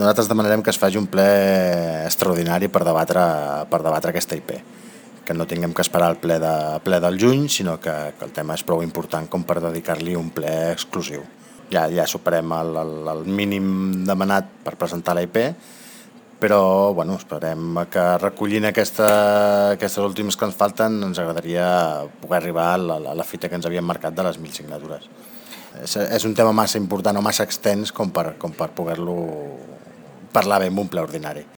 Nosaltres demanarem que es faci un ple extraordinari per debatre aquesta IP, que no tinguem que esperar el ple del juny, sinó que el tema és prou important com per dedicar-li un ple exclusiu. Ja superem el mínim demanat per presentar la IP, però esperem que recollint aquestes últimes que ens falten ens agradaria poder arribar a la fita que ens havíem marcat de les 1.000 signatures. És un tema massa important o massa extens com per poder-lo parlar bé en un ple ordinari.